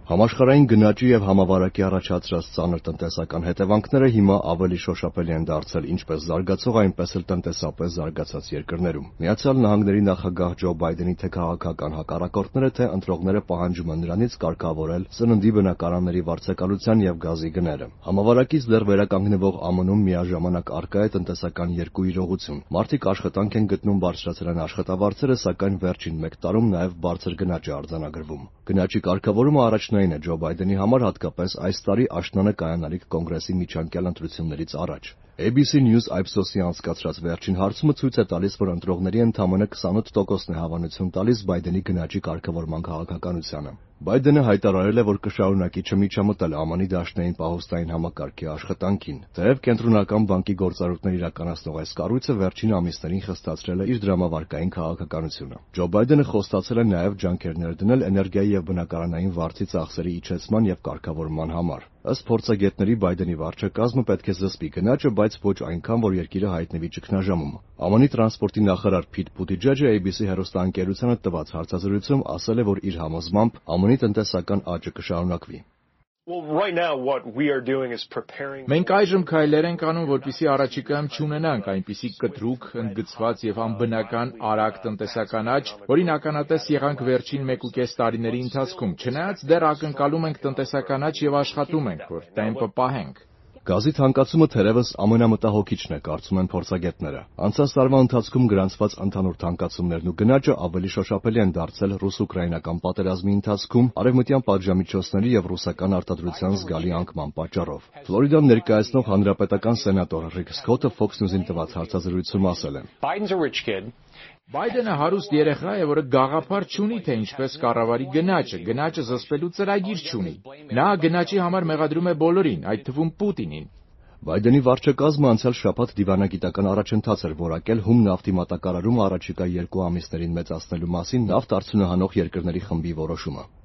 Համաշխարհային գնաճի եւ համավարակի առաջացրած ծանր տնտեսական հետևանքները հիմա ավելի շոշափելի են դարձել ինչպես զարգացող, այնպես էլ տնտեսապես զարգացած երկրներում։ Միացյալ Նահանգների նախագահ Ջո Բայդենի թե քաղաքական հակառակորդները, թե ընտրողները պահանջում են նրանից կարգավորել սննդի բնակարանների վարձակալության եւ գազի գները։ Համավարակից դեռ վերականգնվող ԱՄՆ-ում միաժամանակ առկա է տնտեսական երկու իրողություն։ Մարդիկ աշխատանք են գտնում բարձրացրել են աշխատավարձերը, սակայն վերջին 1 տարում նաեւ բարձր գնաճ է արձանագրվում։ Գնաճի կարգավորումը առաջնային է Ջո Բայդենի համար, հատկապես այս տարի աշնանը կայանալիք կոնգրեսի միջանկյալ ընտրություններից առաջ։ ABC News Ipsos-ի անցկացրած վերջին հարցումը ցույց է տալիս, որ ընտրողների ընդամենը 28%-ն է հավանություն տալիս Բայդենի գնաճի կարգավորման քաղաքականությանը։ Բայդենը հայտարարել է, որ կշարունակի չմիջամտել ԱՄՆ-ի դաշնային պահոստային համակարգի աշխատանքին, թեև Կենտրոնական բանկի գործառույթներ իրականացնող այս կառույցը վերջին ամիսներին խստացրել է իր դրամավարկային քաղաքականությունը։ Ջո Բայդենը խոստացել է նաև ջանքեր ներդնել էներգիայի եւ բնակարանային վարձի ծախսերի իջեցման եւ կարգավորման համար։ Ըստ փորձագետների Բայդենի վարչակազմը պետք է զսպի գնաճը, բայց ոչ այնքան, որ երկիրը հայտնվի ճգնաժամում։ ԱՄՆ-ի տրանսպորտի նախարար Փիթ Բուտիջեջը ABC հեռուստաընկերությանը տված հարցազրույցում ասել է, որ իր համոզմամբ ԱՄՆ-ի տնտեսական աճը կշարունակվի։ Մենք այժմ քայլեր ենք անում, որպեսզի առաջիկայում չունենանք այնպիսի կտրուկ, ընդգծված եւ անբնական արագ տնտեսական աճ, որին ականատես եղանք վերջին 1.5 տարիների ընթացքում, չնայած դեռ ակնկալում ենք տնտեսական աճ եւ աշխատում ենք, որ տեմպը պահենք։ Գազի թանկացումը թերևս ամենամտահոգիչն է, կարծում են փորձագետները։ Անցած տարվա ընթացքում գրանցված ընդհանուր թանկացումներն ու գնաճը ավելի շոշափելի են դարձել ռուս-ուկրաինական պատերազմի ընթացքում, արևմտյան պատժամիջոցների եւ ռուսական արտադրության զգալի անկման պատճառով։ Ֆլորիդան ներկայացնող հանրապետական սենատոր Ռիկ Սքոթը Fox News-ին տված հարցազրույցում ասել է. Բայդենը հարուստ երեխա է, որը գաղափար չունի, թե ինչպես կառավարի գնաճը զսպելու ծրագիր չունի։ Նա գնաճի համար մեղադրում է բոլորին, այդ թվում Պուտինին։ Բայդենի վարչակազմը անցյալ շաբաթ դիվանագիտական առաջընթաց էր որակել հում նավթի մատակարարումը առաջիկա 2 ամիսներին մեծացնելու մասին նավթ արդյունահանող երկրների խմբի որոշումը։